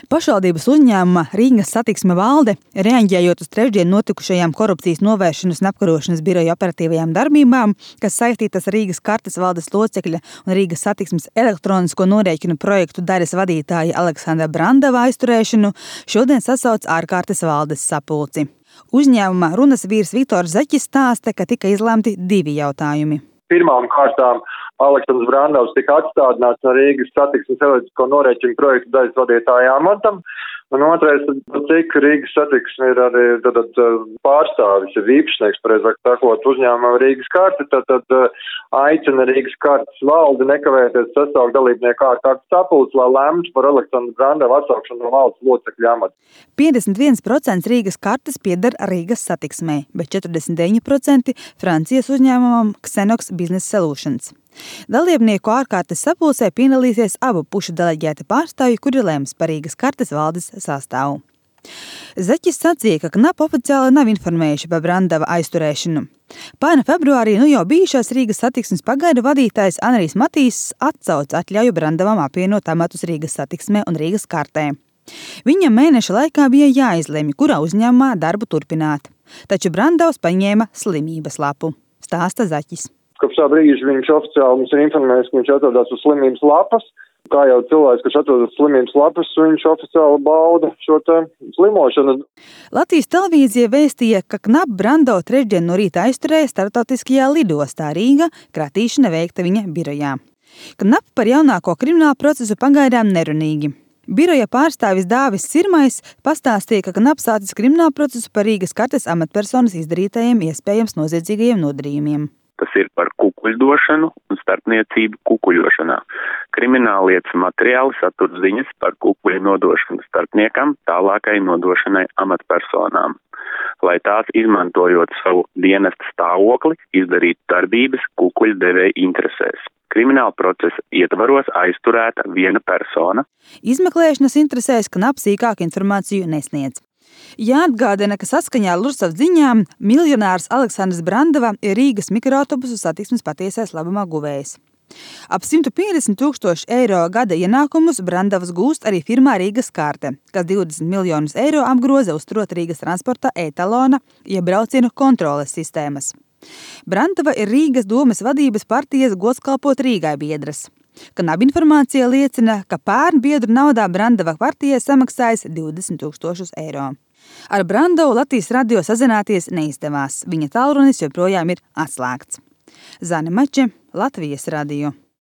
Pašvaldības uzņēmuma Rīgas satiksme valde, reaģējot uz trešdien notikušajām korupcijas novēršanas un apkarošanas biroja operatīvajām darbībām, kas saistītas ar Rīgas kartes valdes locekļa un Rīgas satiksmes elektronisko norēķinu projektu daļas vadītāja Aleksandra Brandava aizturēšanu, šodien sasauc ārkārtas valdes sapulci. Uzņēmuma runas vīrs Viktors Zaķis stāsta, ka tika izlemti 2 jautājumi. Pirmām kārtām Aleksandrs Brandavs tika atstādināts no Rīgas satiksmes elektrisko norēķinu projektu daļas vadītāja amatam, un otrais, cik Rīgas satiksme ir arī pārstāvis, ir īpašnieks, pareizāk sakot, uzņēmuma Rīgas karte, tad aicina Rīgas kartes valdi nekavēties sasaukt dalībnieku ārkārtas sapulci, lai lemtu par Aleksandru Brandavu atsaukšanu no valdes locekļa amata. 51% Rīgas kartes pieder Rīgas satiksmei, bet 49% Francijas uzņēmumam Xenox Business Solutions. Dalībnieku ārkārtas sapulcē piedalīsies abu pušu deleģēti pārstāvji, kuri lems par Rīgas kartes valdes sastāvu. Zaķis sacīja, ka KNAP oficiāli nav informējuši par Brandava aizturēšanu. Pērn februārī jau bijušās Rīgas satiksmes pagaidu vadītājs Anrijs Matīss atsauca atļauju Brandavam apvienot amatus Rīgas satiksmē un Rīgas kartē. Viņam mēneša laikā bija jāizlemj, kurā uzņēmumā darbu turpināt, taču Brandavs paņēma slimības lapu, stāsta Zaķis. Kopš tā brīža viņš oficiāli mums ir informējis, ka viņš atrodas uz slimības lapas. Kā jau cilvēks, kas atrodas uz slimības lapas, viņš oficiāli bauda šo slimošanu. Latvijas televīzija vēstīja, ka KNAP Brandavu trešdien no rīta aizturēja starptautiskajā lidostā Rīga, kratīšana veikta viņa birojā. KNAP par jaunāko kriminālu procesu pagaidām nerunīgi. Biroja pārstāvis Dāvis Sirmais pastāstīja, ka KNAP sācis kriminālu procesu par Rīgas kartes amatpersonas izdarītajiem iespējams noziedzīgajiem nodarījumiem. Tas ir par kukuļdošanu un starpniecību kukuļošanā. Krimināllietas materiāli satur ziņas par kukuļu nodošanu starpniekam tālākai nodošanai amatpersonām, lai tās, izmantojot savu dienesta stāvokli, izdarītu darbības kukuļu devēja interesēs. Krimināla procesa ietvaros aizturēta viena persona. Izmeklēšanas interesēs KNAP sīkāku informāciju nesniedz. Jāatgādina, ka saskaņā ar Lursavas ziņām miljonārs Aleksandrs Brandava ir Rīgas mikroautobusu satiksmes patiesais labumā guvējs. Ap 150 000 eiro gada ienākumus Brandavs gūst arī firmā Rīgas karte, kas 20 miljonus eiro apgroza uzturot Rīgas transporta e-talona, jeb braucienu kontroles sistēmas. Brandava ir Rīgas domes vadības partijas godskalpot Rīgai biedras. KNAP informācija liecina, ka pērn biedru naudā Brandava partijai samaksājis 20 000 eiro. Ar Brandavu Latvijas radio sazināties neizdevās. Viņa tālrunis joprojām ir atslēgts. Zane Mače, Latvijas radio.